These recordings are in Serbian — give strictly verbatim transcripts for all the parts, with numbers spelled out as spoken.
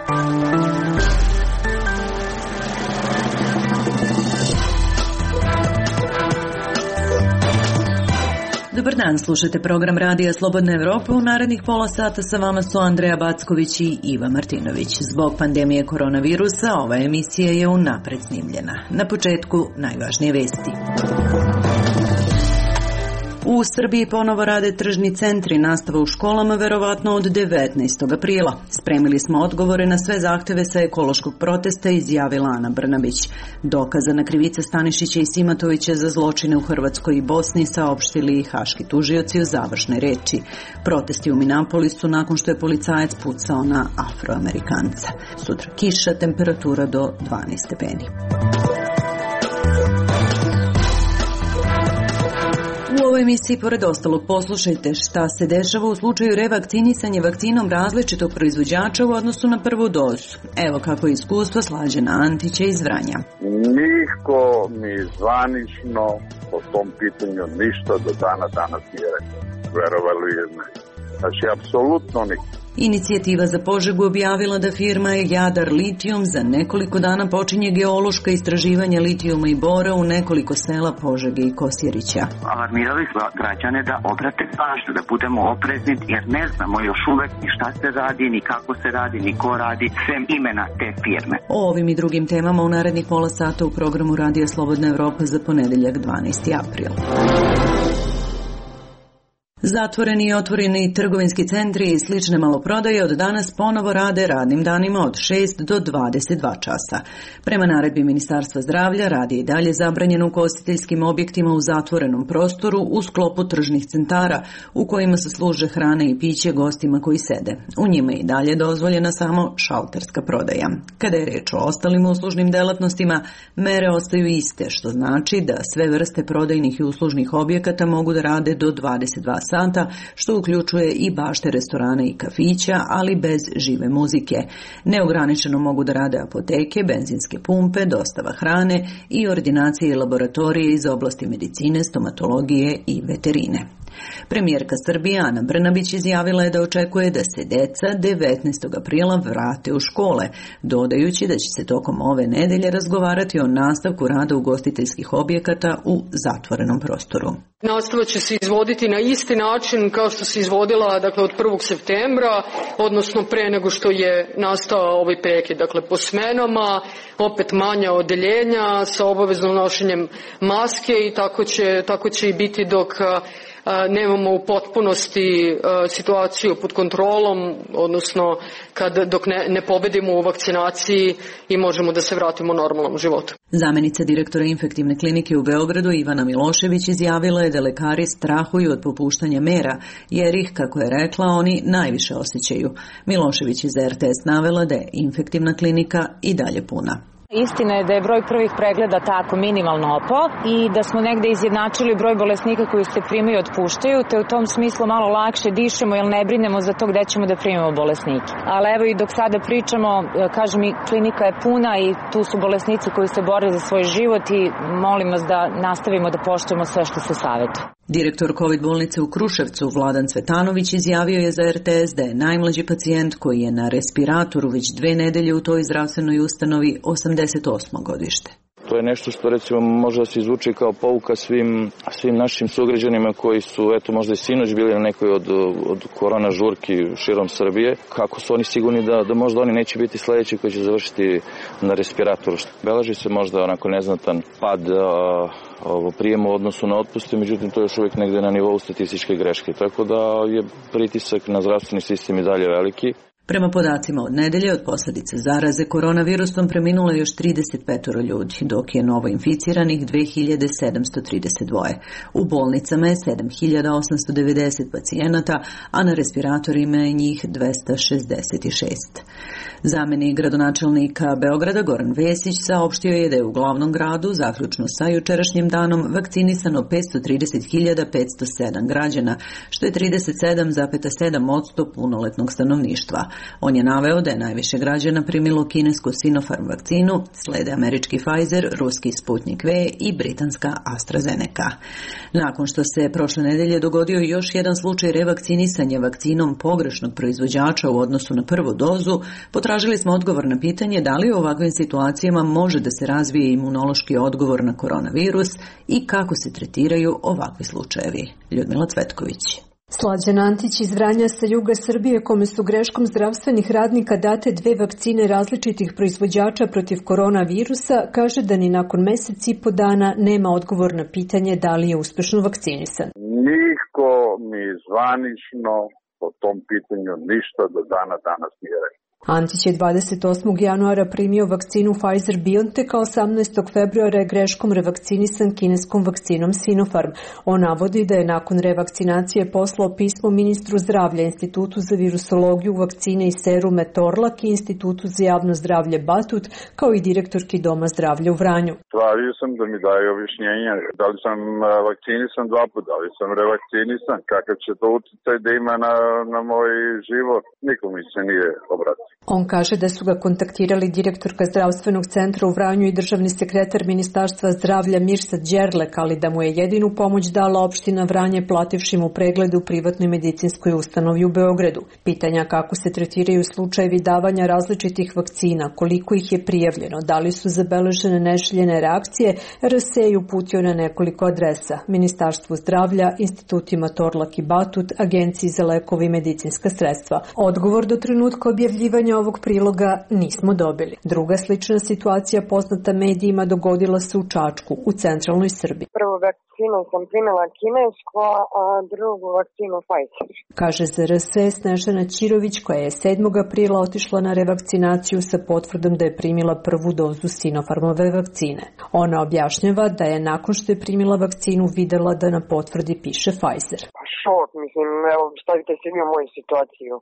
Dobar dan, slušate program Radija Slobodna Evropa. U narednih pola sata sa vama su Andreja Backović i Iva Martinović. Zbog pandemije koronavirusa ova emisija je unapred snimljena. Na početku najvažnije vesti. U Srbiji ponovo rade tržni centri, nastava u školama verovatno od devetnaestog aprila. Spremili smo odgovore na sve zahteve sa ekološkog protesta, izjavila Ana Brnabić. Dokazana krivica Stanišića i Simatovića za zločine u Hrvatskoj i Bosni saopštili i haški tužioci u završnoj reči. Protesti u Minapolisu nakon što je policajac pucao na Afroamerikanca. Sutra kiša, temperatura do dvanaest stepeni. U ovoj emisiji, pored ostalog, poslušajte šta se dešava u slučaju revakcinisanja vakcinom različitog proizvođača u odnosu na prvu dozu. Evo kako je iskustvo Slađana Antića iz Vranja. Niko mi zvanično po tom pitanju ništa do dana danas nije rekao. Verovali ili ne. Znači, apsolutno niko. Inicijativa za Požegu objavila da firma Jadar Litijum za nekoliko dana počinje geološka istraživanja litijuma i bora u nekoliko sela Požege i Kosjerića. Alarmirali smo građane da obrate pažnju, da budemo oprezni jer ne znamo još uvek ni šta se radi, ni kako se radi, ni ko radi, sem imena te firme. O ovim i drugim temama u narednih pola sata u programu Radija Slobodna Evropa za ponedeljak dvanaesti april. Zatvoreni i otvoreni trgovinski centri i slične maloprodaje od danas ponovo rade radnim danima od šest do dvadeset dva časa. Prema naredbi Ministarstva zdravlja rad je i dalje zabranjen u ugostiteljskim objektima u zatvorenom prostoru u sklopu tržnih centara u kojima se služe hrane i piće gostima koji sede. U njima je i dalje dozvoljena samo šalterska prodaja. Kada je reč o ostalim uslužnim delatnostima, mere ostaju iste, što znači da sve vrste prodajnih i uslužnih objekata mogu da rade do dvadeset dva sata, što uključuje i bašte restorana i kafića, ali bez žive muzike. Neograničeno mogu da rade apoteke, benzinske pumpe, dostava hrane i ordinacije i laboratorije iz oblasti medicine, stomatologije i veterine. Premijerka Srbije Ana Brnabić izjavila je da očekuje da se deca devetnaestog aprila vrate u škole, dodajući da će se tokom ove nedelje razgovarati o nastavku rada ugostiteljskih objekata u zatvorenom prostoru. Nastava će se izvoditi na isti način kao što se izvodila, dakle, od prvog septembra, odnosno pre nego što je nastao ovaj prekid, dakle po smenama, opet manja odeljenja sa obaveznom nošenjem maske i tako će, tako će i biti dok nemamo u potpunosti situaciju pod kontrolom, odnosno kad, dok ne, ne pobedimo u vakcinaciji i možemo da se vratimo normalnom životu. Zamenica direktora infektivne klinike u Beogradu Ivana Milošević izjavila je da lekari strahuju od popuštanja mera, jer ih, kako je rekla, oni najviše osjećaju. Milošević iz er te es navela da je infektivna klinika i dalje puna. Istina je da je broj prvih pregleda tako minimalno opao i da smo negde izjednačili broj bolesnika koji se primaju i otpuštaju, te u tom smislu malo lakše dišemo jer ne brinemo za to gde ćemo da primimo bolesnike. Ali evo i dok sada pričamo, kažem, i klinika je puna i tu su bolesnici koji se bore za svoj život i molim vas da nastavimo da poštujemo sve što se savjetuje. Direktor COVID bolnice u Kruševcu Vladan Cvetanović izjavio je za er te es da je najmlađi pacijent koji je na respiratoru već dve nedelje u toj zdravstvenoj ustanovi osamdeset osmo godište. To je nešto što recimo može da se izvuče kao pouka svim, svim našim sugrađanima koji su eto možda i sinoć bili na nekoj od, od korona žurki širom Srbije. Kako su oni sigurni da, da možda oni neće biti sledeći koji će završiti na respiratoru. Beleži se možda onako neznatan pad a, ovo, prijema u odnosu na otpuste, međutim to je još uvijek negde na nivou statističke greške. Tako da je pritisak na zdravstveni sistem i dalje veliki. Prema podacima od nedelje, od posljedice zaraze koronavirusom preminulo je još trideset pet ljudi, dok je novo inficiranih dve hiljade sedamsto trideset dva. U bolnicama je sedam hiljada osamsto devedeset pacijenata, a na respiratorima je njih dvesta šezdeset šest. Zamenik gradonačelnika Beograda Goran Vesić saopštio je da je u glavnom gradu, zaključno sa jučerašnjim danom, vakcinisano petsto trideset hiljada petsto sedam građana, što je trideset sedam zarez sedam posto punoletnog stanovništva. On je naveo da je najviše građana primilo kinesku Sinopharm vakcinu, slede američki Pfizer, ruski Sputnik V i britanska AstraZeneca. Nakon što se prošle nedelje dogodio još jedan slučaj revakcinisanja vakcinom pogrešnog proizvođača u odnosu na prvu dozu, potražili smo odgovor na pitanje da li u ovakvim situacijama može da se razvije imunološki odgovor na koronavirus i kako se tretiraju ovakvi slučajevi. Ljudmila Cvetković. Slađan Antić iz Vranja sa juga Srbije, kome su greškom zdravstvenih radnika date dve vakcine različitih proizvođača protiv koronavirusa, kaže da ni nakon mesec i po dana nema odgovor na pitanje da li je uspešno vakcinisan. Niko mi zvanično po tom pitanju ništa do dana danas nije rekao. Antić je dvadeset osmog januara primio vakcinu Pfizer-BioNTech, a osamnaestog februara je greškom revakcinisan kineskom vakcinom Sinopharm. On navodi da je nakon revakcinacije poslao pismo ministru zdravlja, Institutu za virusologiju, vakcine i serume Torlak i Institutu za javno zdravlje Batut, kao i direktorki Doma zdravlja u Vranju. Tražio sam da mi daje objašnjenje da li sam vakcinisan dva puta, da li sam revakcinisan, kakav će to uticaj da ima na, na moj život. Niko mi se nije obratio. On kaže da su ga kontaktirali direktorka zdravstvenog centra u Vranju i državni sekretar Ministarstva zdravlja Mirsad Đerlek, ali da mu je jedinu pomoć dala opština Vranje plativši mu pregled u privatnoj medicinskoj ustanovi u Beogradu. Pitanja kako se tretiraju slučajevi davanja različitih vakcina, koliko ih je prijavljeno, da li su zabeležene neželjene reakcije, R S E je uputio na nekoliko adresa: Ministarstvu zdravlja, institutima Torlak i Batut, Agenciji za lekove i medicinska sredstva. Odgovor do trenutka objavljivanja ovog priloga nismo dobili. Druga slična situacija poznata medijima dogodila se u Čačku, u centralnoj Srbiji. Prvu vakcinu sam primila kinesku, a drugu vakcinu Pfizer. Kaže za R S E Snežana Ćirović, koja je sedmog aprila otišla na revakcinaciju sa potvrdom da je primila prvu dozu Sinopharmove vakcine. Ona objašnjava da je nakon što je primila vakcinu videla da na potvrdi piše Pfizer. Šok, mislim, evo, stavite se vi u moju situaciju.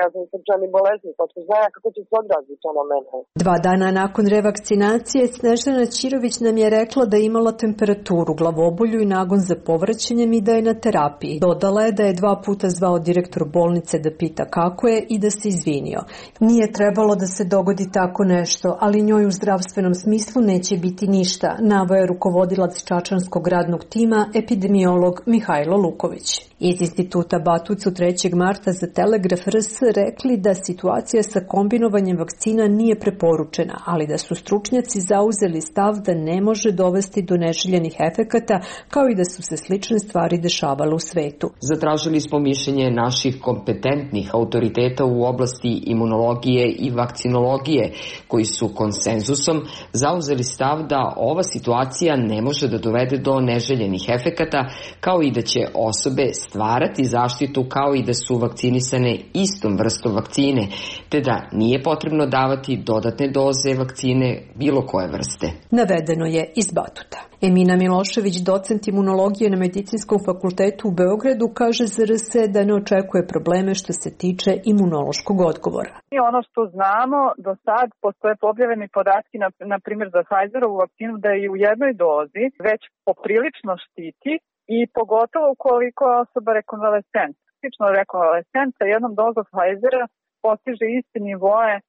Ja sam srčani bolesnik, pa tko zna kako će se odraziti to na mene. Dva dana nakon revakcinacije Snežana Ćirović nam je rekla da je imala temperaturu, glavobolju i nagon za povraćanjem i da je na terapiji. Dodala je da je dva puta zvao direktor bolnice da pita kako je i da se izvinio. Nije trebalo da se dogodi tako nešto, ali njoj u zdravstvenom smislu neće biti ništa, naveo je rukovodilac čačanskog radnog tima, epidemiolog Mihajlo Luković. Iz instituta Batut su trećeg marta za Telegraf R S rekli da situacija sa kombinovanjem vakcina nije preporučena, ali da su stručnjaci zauzeli stav da ne može dovesti do neželjenih efekata, kao i da su se slične stvari dešavale u svetu. Zatražili smo mišljenje naših kompetentnih autoriteta u oblasti imunologije i vakcinologije, koji su konsenzusom zauzeli stav da ova situacija ne može da dovede do neželjenih efekata, kao i da će osobe stvarati zaštitu kao i da su vakcinisane istom vrstom vakcine, te da nije potrebno davati dodatne doze vakcine bilo koje vrste. Navedeno je iz Batuta. Emina Milošević, docent imunologije na Medicinskom fakultetu u Beogradu, kaže za R S E da ne očekuje probleme što se tiče imunološkog odgovora. I ono što znamo, do sad postoje objavljeni podatki, na, na primjer za Pfizerovu vakcinu, da je u jednoj dozi već poprilično štiti i pogotovo ukoliko je osoba rekonvalescent. Tipično rekonvalescent sa jednom dozom Pfizera postiže iste nivoe e,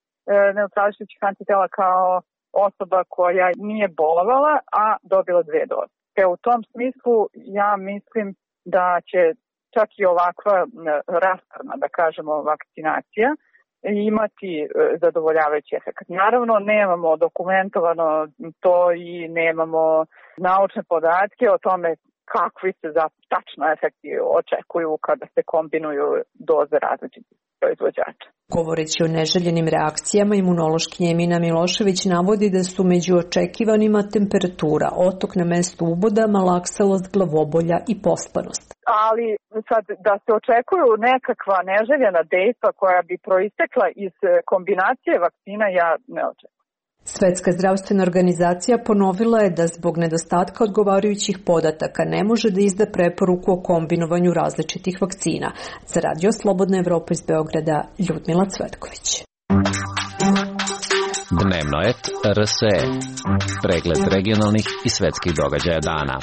neutrališućih antitela kao osoba koja nije bolovala, a dobila dve doze. Te u tom smislu ja mislim da će čak i ovakva rastarna, da kažemo, vakcinacija imati zadovoljavajući efekt. Naravno, nemamo dokumentovano to i nemamo naučne podatke o tome kakvi se za tačno efekti očekuju kada se kombinuju doze različitih proizvođača. Govoreći o neželjenim reakcijama, imunološkinja Emina Milošević navodi da su među očekivanima temperatura, otok na mestu uboda, malaksalost, glavobolja i pospanost. Ali sad da se očekuju nekakva neželjena dejstva koja bi proistekla iz kombinacije vakcina, ja ne očekujem. Svetska zdravstvena organizacija ponovila je da zbog nedostatka odgovarajućih podataka ne može da izda preporuku o kombinovanju različitih vakcina. Za Radio Slobodna Evropa iz Beograda, Ljudmila Cvetković. Dnevno et R S E. Pregled regionalnih i svetskih događaja dana.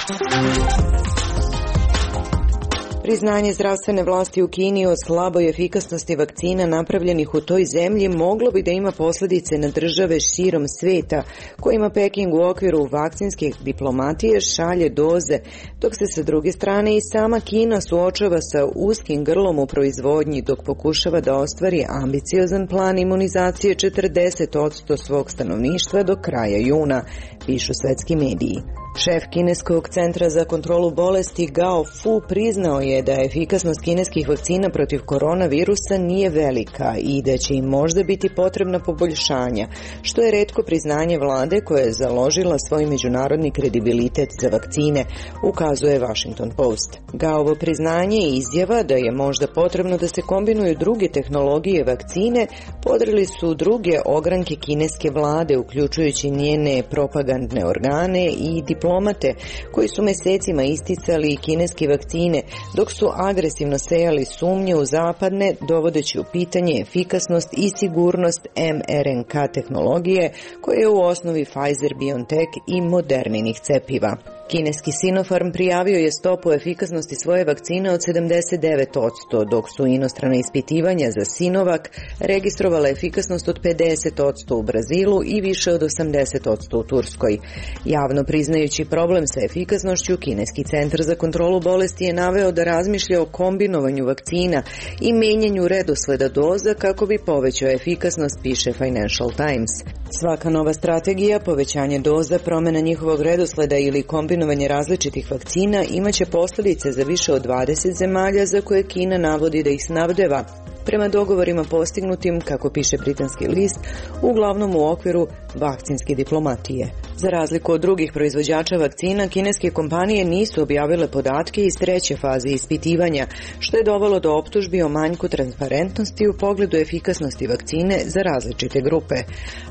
Priznanje zdravstvene vlasti u Kini o slaboj efikasnosti vakcina napravljenih u toj zemlji moglo bi da ima posljedice na države širom sveta, kojima Peking u okviru vakcinske diplomatije šalje doze, dok se sa druge strane i sama Kina suočava sa uskim grlom u proizvodnji dok pokušava da ostvari ambiciozan plan imunizacije četrdeset posto svog stanovništva do kraja juna, pišu svetski mediji. Šef kineskog centra za kontrolu bolesti Gao Fu priznao je da efikasnost kineskih vakcina protiv koronavirusa nije velika i da će im možda biti potrebna poboljšanja, što je retko priznanje vlade koja je založila svoj međunarodni kredibilitet za vakcine, ukazuje Washington Post. Gaovo priznanje i izjava da je možda potrebno da se kombinuju druge tehnologije vakcine podrili su druge ogranke kineske vlade, uključujući njene propagandne organe i diplomate koji su mesecima isticali kineske vakcine, dok su agresivno sejali sumnje u zapadne, dovodeći u pitanje efikasnost i sigurnost em er en ka tehnologije, koja je u osnovi Pfizer-BioNTech i Moderninih cepiva. Kineski Sinopharm prijavio je stopu efikasnosti svoje vakcine od sedamdeset devet posto, dok su inostrana ispitivanja za Sinovac registrovala efikasnost od pedeset posto u Brazilu i više od osamdeset posto u Turskoj. Javno priznajući problem sa efikasnošću, Kineski centar za kontrolu bolesti je naveo da razmišlja o kombinovanju vakcina i menjanju redosleda doza kako bi povećao efikasnost, piše Financial Times. Svaka nova strategija, povećanje doza, promjena njihovog redosleda ili kombinovanje različitih vakcina imaće posljedice za više od dvadeset zemalja za koje Kina navodi da ih snabdeva, prema dogovorima postignutim, kako piše britanski list, uglavnom u okviru vakcinske diplomatije. Za razliku od drugih proizvođača vakcina, kineske kompanije nisu objavile podatke iz treće faze ispitivanja, što je dovelo do optužbi o manjku transparentnosti u pogledu efikasnosti vakcine za različite grupe.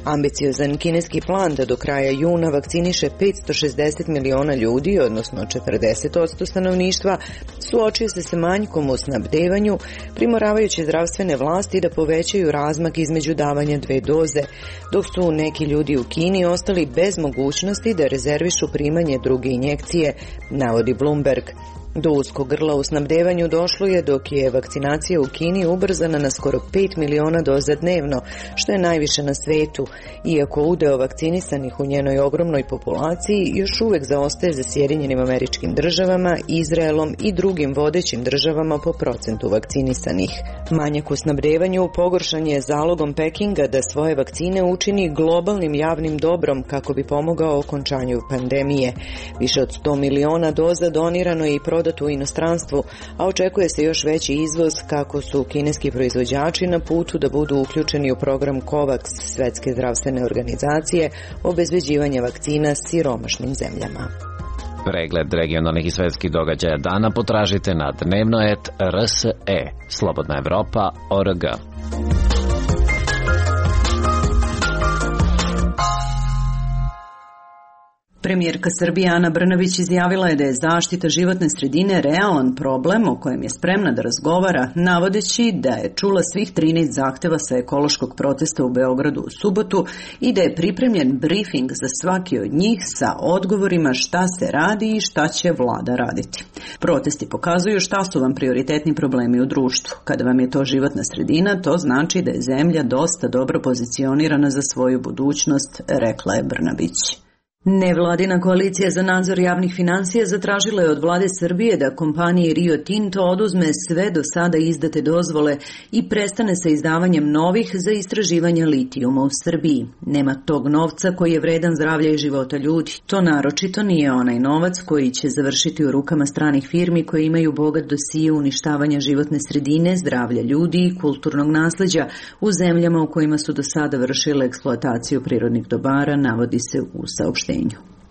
Ambiciozan kineski plan da do kraja juna vakciniše petsto šezdeset miliona ljudi, odnosno četrdeset posto stanovništva, suočio se sa manjkom u snabdevanju, primoravajući zdravstvene vlasti da povećaju razmak između davanja dve doze, dok su neki ljudi u Kini ostali bez mogućnosti da rezervišu primanje druge injekcije, navodi Bloomberg. Do uskog grla u snabdevanju došlo je dok je vakcinacija u Kini ubrzana na skoro pet miliona doza dnevno, što je najviše na svetu, iako udeo vakcinisanih u njenoj ogromnoj populaciji još uvek zaostaje za Sjedinjenim Američkim Državama, Izraelom i drugim vodećim državama po procentu vakcinisanih. Manjak u snabdevanju pogoršan je zalogom Pekinga da svoje vakcine učini globalnim javnim dobrom kako bi pomogao okončanju pandemije. Više od sto miliona doza donirano je i prodano u inostranstvu, a očekuje se još veći izvoz kako su kineski proizvođači na putu da budu uključeni u program COVAX Svetske zdravstvene organizacije obezbeđivanja vakcina siromašnim zemljama. Pregled regionalnih i svetskih događaja dana potražite na dnevno et er es e, Slobodna Evropa, o er ge. Premijerka Srbije Ana Brnabić izjavila je da je zaštita životne sredine realan problem o kojem je spremna da razgovara, navodeći da je čula svih trinaest zahteva sa ekološkog protesta u Beogradu u subotu i da je pripremljen brifing za svaki od njih sa odgovorima šta se radi i šta će vlada raditi. Protesti pokazuju šta su vam prioritetni problemi u društvu. Kada vam je to životna sredina, to znači da je zemlja dosta dobro pozicionirana za svoju budućnost, rekla je Brnabić. Nevladina koalicija za nadzor javnih finansija zatražila je od vlade Srbije da kompaniji Rio Tinto oduzme sve do sada izdate dozvole i prestane sa izdavanjem novih za istraživanje litijuma u Srbiji. Nema tog novca koji je vredan zdravlja i života ljudi. To naročito nije onaj novac koji će završiti u rukama stranih firmi koje imaju bogat dosije uništavanja životne sredine, zdravlja ljudi i kulturnog nasleđa u zemljama u kojima su do sada vršile eksploataciju prirodnih dobara, navodi se u saopštenju.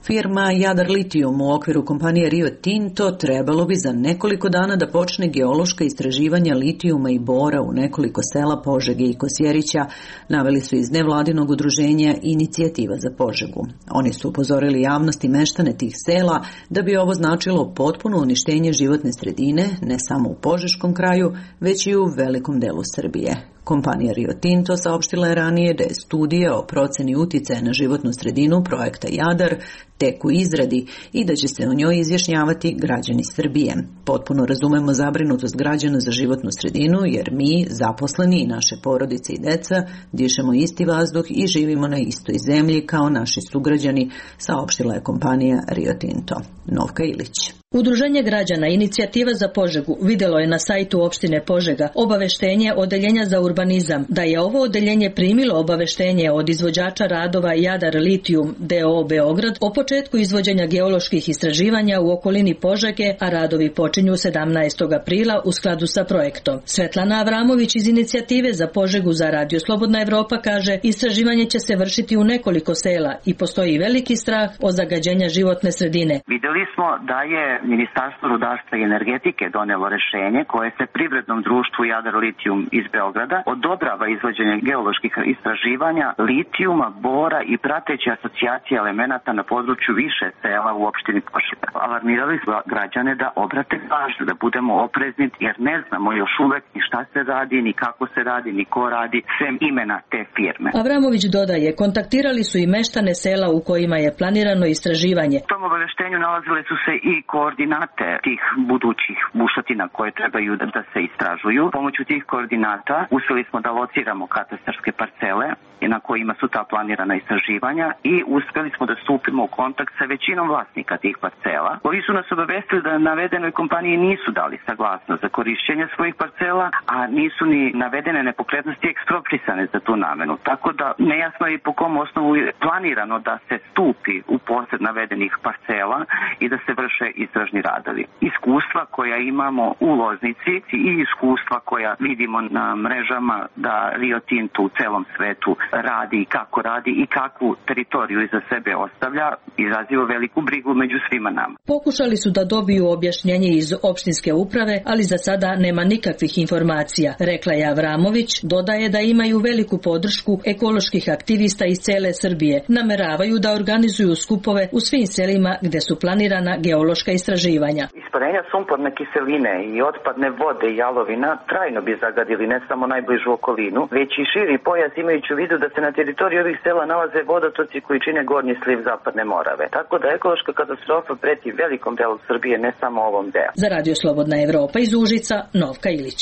Firma Jadar Litijum u okviru kompanije Rio Tinto trebalo bi za nekoliko dana da počne geološka istraživanja litijuma i bora u nekoliko sela Požege i Kosjerića, naveli su iz nevladinog udruženja Inicijativa za Požegu. Oni su upozorili javnost i meštane tih sela da bi ovo značilo potpuno uništenje životne sredine, ne samo u Požeškom kraju, već i u velikom delu Srbije. Kompanija Rio Tinto saopštila je ranije da je studija o proceni uticaja na životnu sredinu projekta Jadar tek u izradi i da će se o njoj izjašnjavati građani Srbije. Potpuno razumemo zabrinutost građana za životnu sredinu jer mi, zaposleni i naše porodice i deca, dišemo isti vazduh i živimo na istoj zemlji kao naši sugrađani, saopštila je kompanija Rio Tinto. Novka Ilić. Udruženje građana Inicijativa za Požegu vidjelo je na sajtu opštine Požega obaveštenje Odeljenja za urbanizam da je ovo odeljenje primilo obaveštenje od izvođača radova Jadar Litijum d o o Beograd o početku izvođenja geoloških istraživanja u okolini Požege, a radovi počinju sedamnaestog aprila u skladu sa projektom. Svetlana Avramović iz Inicijative za Požegu za Radio Slobodna Evropa kaže, istraživanje će se vršiti u nekoliko sela i postoji veliki strah od zagađenja životne sredine. Vidjeli smo da je Ministarstvo rudarstva i energetike donelo rešenje koje se privrednom društvu Jadar Litijum iz Beograda odobrava izvođenje geoloških istraživanja litijuma, bora i prateće asocijacije elemenata na području više sela u opštini Požega. Alarmirali smo građane da obrate pažnju, da budemo oprezni jer ne znamo još uvek ni šta se radi, ni kako se radi, ni ko radi, sem imena te firme. Avramović dodaje, kontaktirali su i meštane sela u kojima je planirano istraživanje. U tom obaveštenju nalazile su se i koordinate tih budućih bušotina koje trebaju da se istražuju. Pomoću tih koordinata uspeli smo da lociramo katastarske parcele na kojima su ta planirana istraživanja i uspeli smo da stupimo u kontakt sa većinom vlasnika tih parcela, koji su nas obavestili da navedenoj kompaniji nisu dali saglasnost za korišćenje svojih parcela, a nisu ni navedene nepokretnosti eksproprisane za tu namenu. Tako da nejasno je po kom osnovu je planirano da se stupi u posed navedenih parcela i da se vrše istražni radovi. Iskustva koja imamo u Loznici i iskustva koja vidimo na mrežama da Rio Tinto u celom svetu radi i kako radi i kakvu teritoriju iza sebe ostavlja, izaziva veliku brigu među svima nama. Pokušali su da dobiju objašnjenje iz opštinske uprave, ali za sada nema nikakvih informacija, rekla je Avramović. Dodaje da imaju veliku podršku ekoloških aktivista iz cele Srbije. Nameravaju da organizuju skupove u svim selima gde su planirana geološka istraživanja. Isparenja sumporne kiseline i otpadne vode i jalovina trajno bi zagadili ne samo najbližu okolinu, već i širi pojas, imajući u vidu da se na teritoriji ovih sela nalaze vodotoci koji čine gornji sliv Zapadne Morave. Tako da ekološka katastrofa preti velikom delu Srbije, ne samo ovom delu. Za Radio Slobodna Evropa iz Užica, Novka Ilić.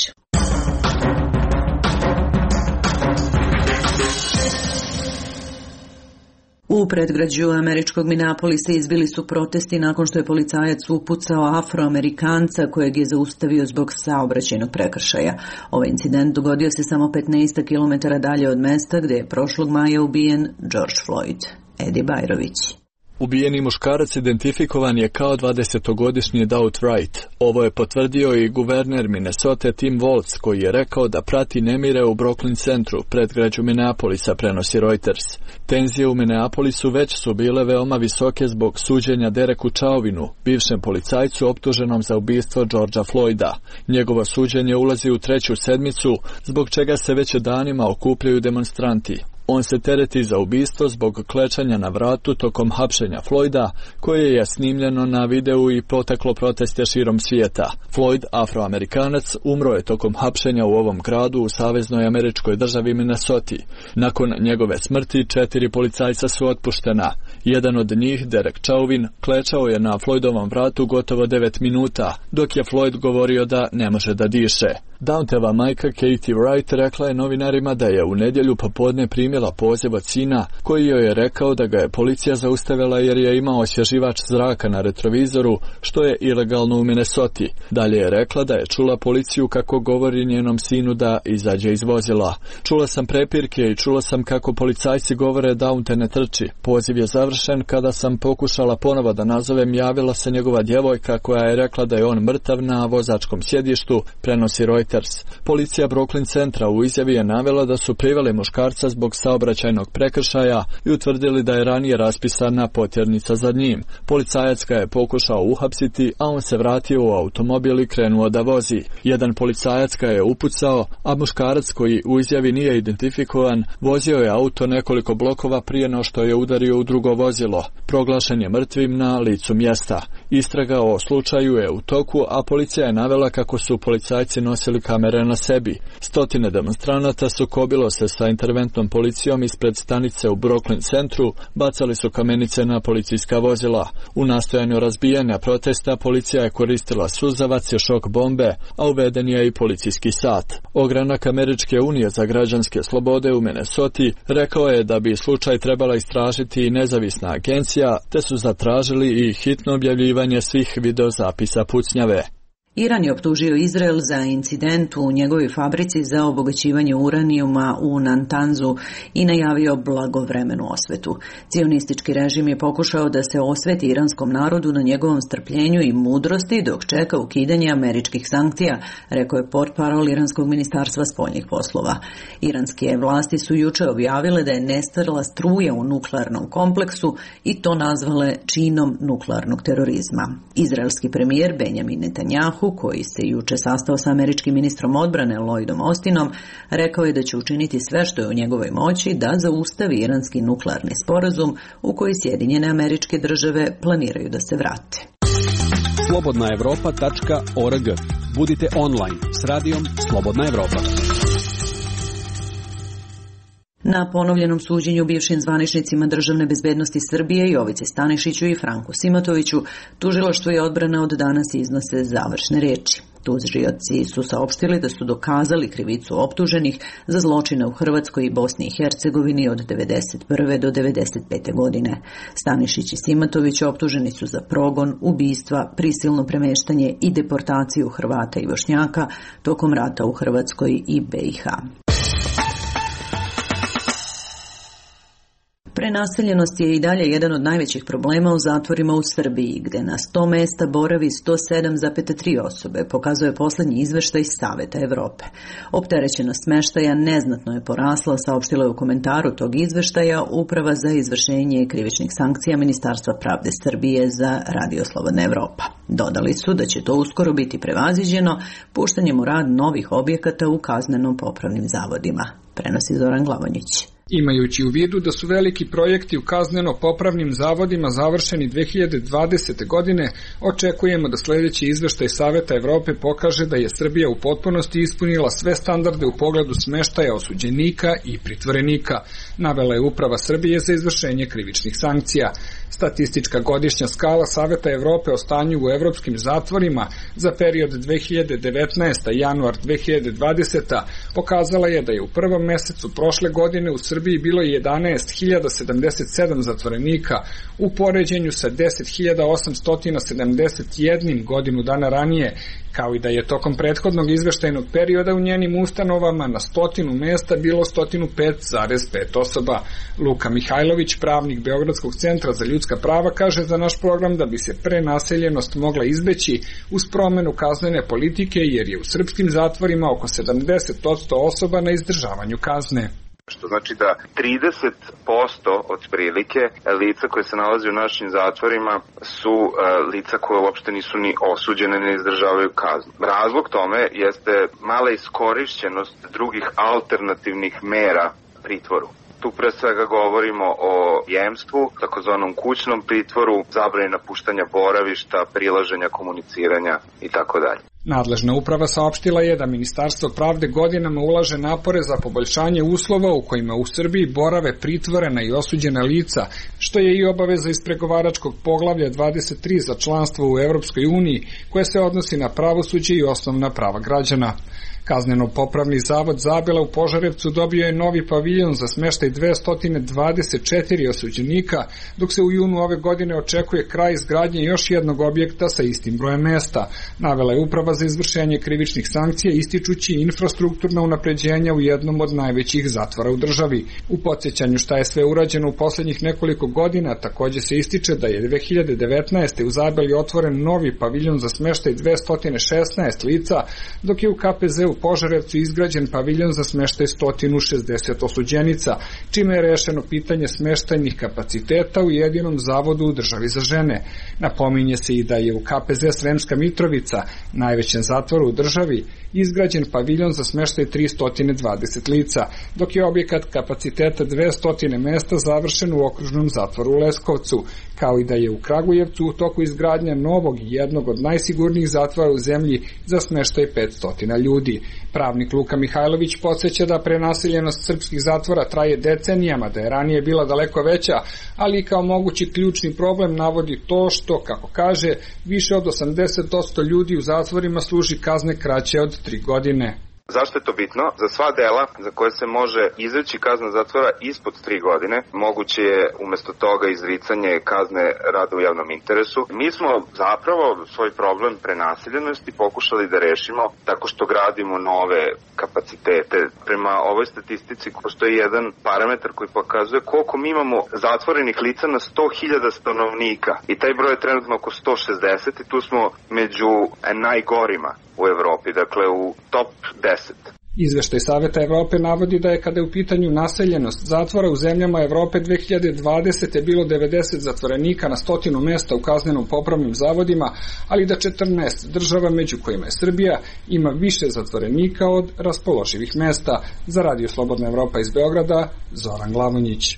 U predgrađu američkog Minneapolisa izbili su protesti nakon što je policajac upucao Afroamerikanca kojeg je zaustavio zbog saobraćajnog prekršaja. Ovaj incident dogodio se samo petnaest kilometara dalje od mesta gde je prošlog maja ubijen George Floyd. Edi Bajrović. Ubijeni muškarac identifikovan je kao dvadesetogodišnji Daut Wright. Ovo je potvrdio i guverner Minnesota Tim Walz, koji je rekao da prati nemire u Brooklyn centru, predgrađu Minneapolisa, prenosi Reuters. Tenzije u Minneapolisu već su bile veoma visoke zbog suđenja Dereku Chauvinu, bivšem policajcu optuženom za ubistvo Georgea Floyda. Njegovo suđenje ulazi u treću sedmicu, zbog čega se već danima okupljaju demonstranti. On se tereti za ubistvo zbog klečanja na vratu tokom hapšenja Floyda, koje je snimljeno na videu i potaklo proteste širom svijeta. Floyd, Afroamerikanac, umro je tokom hapšenja u ovom gradu u saveznoj američkoj državi Minnesota. Nakon njegove smrti četiri policajca su otpuštena. Jedan od njih, Derek Chauvin, klečao je na Floydovom vratu gotovo devet minuta, dok je Floyd govorio da ne može da diše. Daunteva majka Katie Wright rekla je novinarima da je u nedjelju popodne primila poziv od sina koji joj je rekao da ga je policija zaustavila jer je imao osvježivač zraka na retrovizoru, što je ilegalno u Minnesota. Dalje je rekla da je čula policiju kako govori njenom sinu da izađe iz vozila. Čula sam prepirke i čula sam kako policajci govore Daunte ne trči. Poziv je završen kada sam pokušala ponovo da nazovem, javila se njegova djevojka koja je rekla da je on mrtav na vozačkom sjedištu, prenosi Reuters. Policija Brooklyn centra u izjavi je navela da su priveli muškarca zbog saobraćajnog prekršaja i utvrdili da je ranije raspisana potjernica za njim. Policajac ga je pokušao uhapsiti, a on se vratio u automobil i krenuo da vozi. Jedan policajac ga je upucao, a muškarac koji u izjavi nije identifikovan vozio je auto nekoliko blokova prije no što je udario u drugo vozilo. Proglašen je mrtvim na licu mjesta. Istraga o slučaju je u toku, a policija je navela kako su policajci nosili napravili kamere na sebi. Stotine demonstranata sukobilo se sa interventnom policijom ispred stanice u Brooklyn centru, bacali su kamenice na policijska vozila. U nastojanju razbijanja protesta policija je koristila suzavac i šok bombe, a uveden je i policijski sat. Ogranak Američke unije za građanske slobode u Minnesoti rekao je da bi slučaj trebala istražiti i nezavisna agencija, te su zatražili i hitno objavljivanje svih videozapisa pucnjave. Iran je optužio Izrael za incident u njegovoj fabrici za obogaćivanje uranijuma u Natanzu i najavio blagovremenu osvetu. Cionistički režim je pokušao da se osveti iranskom narodu na njegovom strpljenju i mudrosti dok čeka ukidanje američkih sankcija, rekao je portparol Iranskog ministarstva spoljnih poslova. Iranske vlasti su juče objavile da je nestala struja u nuklearnom kompleksu i to nazvale činom nuklearnog terorizma. Izraelski premijer Benjamin Netanjahu, koji se juče sastao sa američkim ministrom odbrane Lloydom Austinom, rekao je da će učiniti sve što je u njegovoj moći da zaustavi iranski nuklearni sporazum u koji Sjedinjene Američke Države planiraju da se vrate. slobodna evropa tačka org. Budite online s radijom Slobodna Evropa. Na ponovljenom suđenju bivšim zvaničnicima državne bezbednosti Srbije Jovici Stanišiću i Franku Simatoviću, tužilaštvo i odbrana od danas iznose završne reči. Tužioci su saopštili da su dokazali krivicu optuženih za zločine u Hrvatskoj i Bosni i Hercegovini od devedeset prve do devedeset pete godine. Stanišić i Simatović optuženi su za progon, ubistva, prisilno premeštanje i deportaciju Hrvata i Bošnjaka tokom rata u Hrvatskoj i B i H. Prenaseljenost je i dalje jedan od najvećih problema u zatvorima u Srbiji, gde na sto mesta boravi sto sedam zarez tri osobe, pokazuje poslednji izveštaj Saveta Evrope. Opterećenost smeštaja neznatno je porasla, saopštila je u komentaru tog izveštaja Uprava za izvršenje krivičnih sankcija Ministarstva pravde Srbije za Radio Slobodna Evropa. Dodali su da će to uskoro biti prevaziđeno puštanjem u rad novih objekata u kazneno-popravnim zavodima. Prenosi Zoran Glavonjić. Imajući u vidu da su veliki projekti u kazneno-popravnim zavodima završeni dve hiljade dvadesete. godine, očekujemo da sljedeći izveštaj Saveta Evrope pokaže da je Srbija u potpunosti ispunila sve standarde u pogledu smeštaja osuđenika i pritvorenika, navela je Uprava Srbije za izvršenje krivičnih sankcija. Statistička godišnja skala Saveta Evrope o stanju u evropskim zatvorima za period dve hiljade devetnaesta. januar dve hiljade dvadeseta. pokazala je da je u prvom mesecu prošle godine u Srbiji bilo jedanaest hiljada sedamdeset sedam zatvorenika u poređenju sa deset hiljada osamsto sedamdeset jedan godinu dana ranije, kao i da je tokom prethodnog izveštajnog perioda u njenim ustanovama na stotinu mesta bilo sto pet zarez pet osoba. Luka Mihajlović, pravnik Beogradskog centra za ljudska prava, kaže za naš program da bi se prenaseljenost mogla izbeći uz promenu kaznene politike, jer je u srpskim zatvorima oko sedamdeset posto osoba na izdržavanju kazne. Što znači da trideset posto od prilike lica koje se nalaze u našim zatvorima su uh, lica koje uopšte nisu ni osuđene, ne izdržavaju kaznu. Razlog tome jeste mala iskorišćenost drugih alternativnih mera pritvoru. Tu pre svega govorimo o jemstvu, takozvanom kućnom pritvoru, zabrani napuštanja boravišta, prilaženja, komuniciranja i tako dalje. Nadležna uprava saopštila je da Ministarstvo pravde godinama ulaže napore za poboljšanje uslova u kojima u Srbiji borave pritvorena i osuđena lica, što je i obaveza iz pregovaračkog poglavlja dvadeset tri za članstvo u Evropskoj uniji, koje se odnosi na pravosuđe i osnovna prava građana. Kazneno-popravni zavod Zabela u Požarevcu dobio je novi paviljon za smeštaj dvesta dvadeset četiri osuđenika, dok se u junu ove godine očekuje kraj izgradnje još jednog objekta sa istim brojem mesta, navela je Uprava za izvršenje krivičnih sankcija, ističući infrastrukturna unapređenja u jednom od najvećih zatvora u državi. U podsjećanju šta je sve urađeno u poslednjih nekoliko godina, takođe se ističe da je dve hiljade devetnaeste. u Zabeli otvoren novi paviljon za smeštaj dvesta šesnaest lica, dok je u K P Z u Požarevcu izgrađen paviljon za smeštaj sto šezdeset osuđenica, čime je rešeno pitanje smeštajnih kapaciteta u jedinom zavodu u državi za žene. Napominje se i da je u K P Z Sremska Mitrovica, najvećem zatvoru u državi, izgrađen paviljon za smeštaj tristo dvadeset lica, dok je objekat kapaciteta dvesta mesta završen u okružnom zatvoru u Leskovcu, kao i da je u Kragujevcu u toku izgradnja novog i jednog od najsigurnijih zatvora u zemlji za smeštaj petsto ljudi. Pravnik Luka Mihajlović podsjeća da prenaseljenost srpskih zatvora traje decenijama, da je ranije bila daleko veća, ali kao mogući ključni problem navodi to što, kako kaže, više od osamdeset posto ljudi u zatvorima služi kazne kraće od tri godine. Zašto je to bitno? Za sva dela za koje se može izreći kazna zatvora ispod tri godine, moguće je umesto toga izricanje kazne rada u javnom interesu. Mi smo zapravo svoj problem prenaseljenosti pokušali da rešimo tako što gradimo nove kapacitete. Prema ovoj statistici postoji jedan parametar koji pokazuje koliko mi imamo zatvorenih lica na sto hiljada stanovnika i taj broj je trenutno oko sto šezdeset i tu smo među najgorima u Evropi, dakle u top deset. Izveštaj Saveta Evrope navodi da je kada je u pitanju naseljenost zatvora u zemljama Evrope dve hiljade dvadesete bilo devedeset zatvorenika na stotinu mesta u kaznenom popravnim zavodima, ali da četrnaest država, među kojima je Srbija, ima više zatvorenika od raspoloživih mesta. Za Radio Slobodna Evropa iz Beograda, Zoran Glavonjić.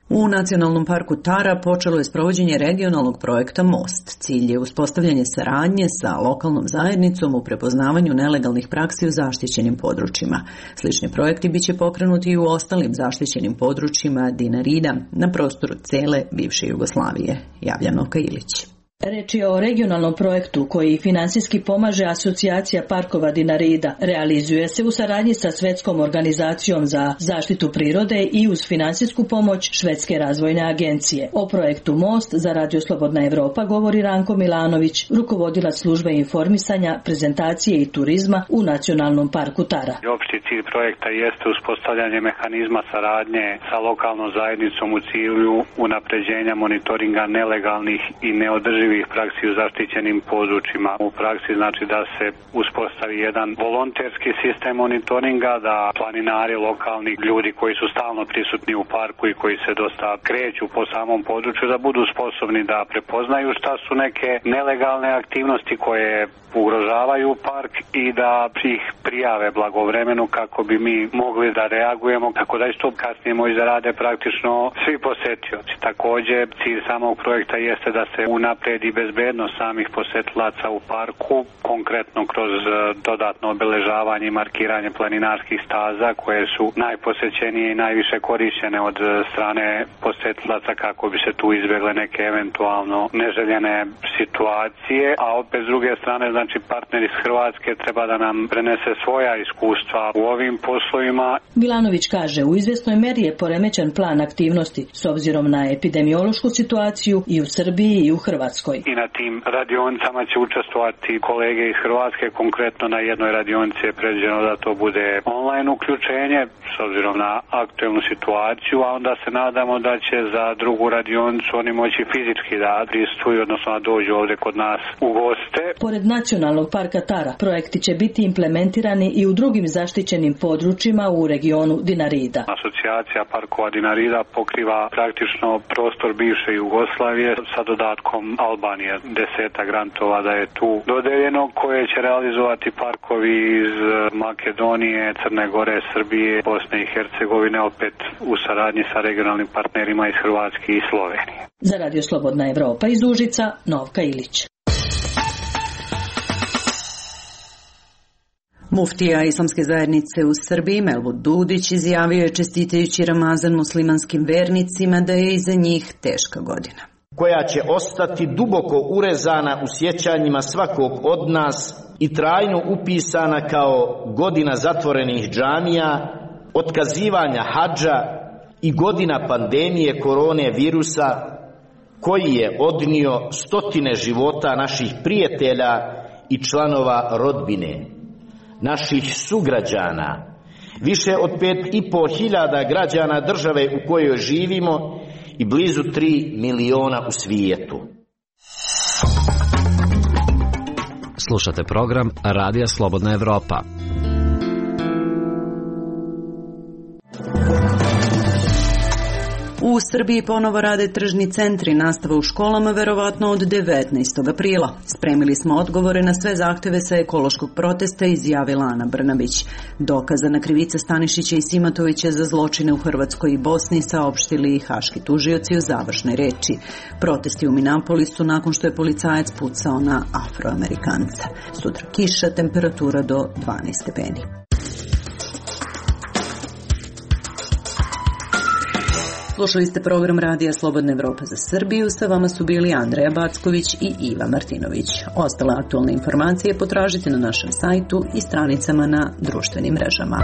U Nacionalnom parku Tara počelo je sprovođenje regionalnog projekta Most. Cilj je uspostavljanje saradnje sa lokalnom zajednicom u prepoznavanju nelegalnih praksi u zaštićenim područjima. Slični projekti biće pokrenuti i u ostalim zaštićenim područjima Dinarida na prostoru cele bivše Jugoslavije, javlja Novka Ilić. Reč je o regionalnom projektu koji finansijski pomaže Asocijacija parkova Dinarida. Realizuje se u saradnji sa Svetskom organizacijom za zaštitu prirode i uz finansijsku pomoć Švedske razvojne agencije. O projektu Most za Radio Slobodna Evropa govori Ranko Milanović, rukovodilac službe informisanja, prezentacije i turizma u Nacionalnom parku Tara. Opšti cilj projekta jeste uspostavljanje mehanizma saradnje sa lokalnom zajednicom u cilju unapređenja monitoringa nelegalnih i neodrživih praksi u zaštićenim područjima. U praksi znači da se uspostavi jedan volonterski sistem monitoringa, da planinari, lokalni ljudi koji su stalno prisutni u parku i koji se dosta kreću po samom području, da budu sposobni da prepoznaju šta su neke nelegalne aktivnosti koje ugrožavaju park i da ih prijave blagovremeno kako bi mi mogli da reagujemo, tako da isto kasnije moći da rade praktično svi posetioci. Također, cilj samog projekta jeste da se unapredi bezbednost samih posetilaca u parku, konkretno kroz dodatno obeležavanje i markiranje planinarskih staza koje su najposećenije i najviše korišćene od strane posetilaca kako bi se tu izbjegle neke eventualno neželjene situacije, a opet s druge strane znači partner iz Hrvatske treba da nam prenese svoja iskustva u ovim poslovima. Milanović kaže, u izvesnoj meri je poremećen plan aktivnosti s obzirom na epidemiološku situaciju i u Srbiji i u Hrvatskoj. I na tim radionicama će učestvovati kolege iz Hrvatske, konkretno na jednoj radionici je predviđeno da to bude online uključenje s obzirom na aktuelnu situaciju, a onda se nadamo da će za drugu radionicu oni moći fizički da prisustvuju, odnosno da dođu ovdje kod nas u goste. Pored Nacionalnog parka Tara, projekti će biti implementirani i u drugim zaštićenim područjima u regionu Dinarida. Asocijacija parkova Dinarida pokriva praktično prostor bivše Jugoslavije sa dodatkom Albanije. Deseta grantova da je tu dodeljeno koje će realizovati parkovi iz Makedonije, Crne Gore, Srbije, Bosne i Hercegovine, opet u saradnji sa regionalnim partnerima iz Hrvatske i Slovenije. Za Radio Slobodna Evropa iz Užica, Novka Ilić. Muftija Islamske zajednice u Srbiji Melvud Dudić izjavio je čestitajući Ramazan muslimanskim vernicima da je iza njih teška godina, koja će ostati duboko urezana u sjećanjima svakog od nas i trajno upisana kao godina zatvorenih džamija, otkazivanja hadža i godina pandemije korone virusa koji je odnio stotine života naših prijatelja i članova rodbine, naših sugrađana, više od pet i po hiljada građana države u kojoj živimo i blizu tri miliona u svijetu. Slušate program Radija Slobodna Evropa. U U Srbiji ponovo rade tržni centri, nastava u školama verovatno od devetnaestog aprila. Spremili smo odgovore na sve zahteve sa ekološkog protesta, izjavila Ana Brnabić. Dokazana krivica Stanišića i Simatovića za zločine u Hrvatskoj i Bosni saopštili i haški tužioci u završnoj reči. Protesti u Minneapolisu nakon što je policajac pucao na Afroamerikanca. Sutra kiša, temperatura do dvanaest stepeni. Slušali ste program Radija Slobodna Evropa za Srbiju, sa vama su bili Andreja Backović i Iva Martinović. Ostale aktualne informacije potražite na našem sajtu i stranicama na društvenim mrežama.